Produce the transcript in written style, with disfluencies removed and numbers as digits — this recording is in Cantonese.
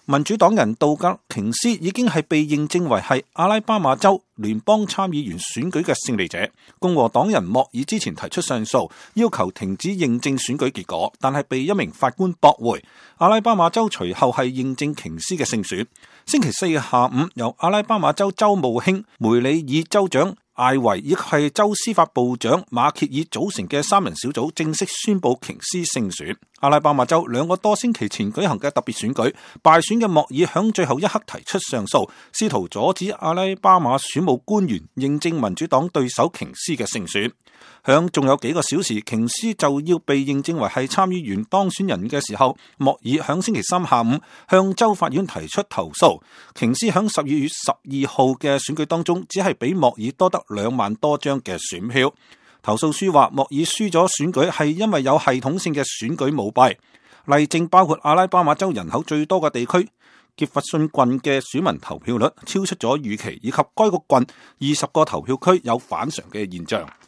民主黨人杜格瓊斯已經係被認證為係阿拉巴馬州聯邦參議員選舉嘅勝利者。共和黨人莫爾之前提出上訴，要求停止認證選舉結果，但係被一名法官駁回。阿拉巴馬州隨後係認證瓊斯嘅勝選。星期四下午，由阿拉巴馬州州務卿梅里爾州長艾維以及係州司法部長馬歇爾組成嘅3人小組正式宣布瓊斯勝選。阿拉巴馬州2個多星期前舉行嘅特別選舉敗選嘅莫爾響最後一刻提出上訴，試圖阻止阿拉巴馬選務官員認證民主黨對手瓊斯嘅勝選。響仲有幾個小時，瓊斯就要被認證為係參議員當選人嘅時候，莫爾響星期三下午向州法院提出投訴。瓊斯響12月12號嘅選舉當中，只係比莫爾多得2萬多張嘅選票。投訴書話莫爾輸咗選舉係因為有系統性嘅選舉舞弊，例證包括阿拉巴馬州人口最多嘅地區傑弗遜郡嘅選民投票率超出咗預期，以及該個郡20個投票區有反常嘅現象。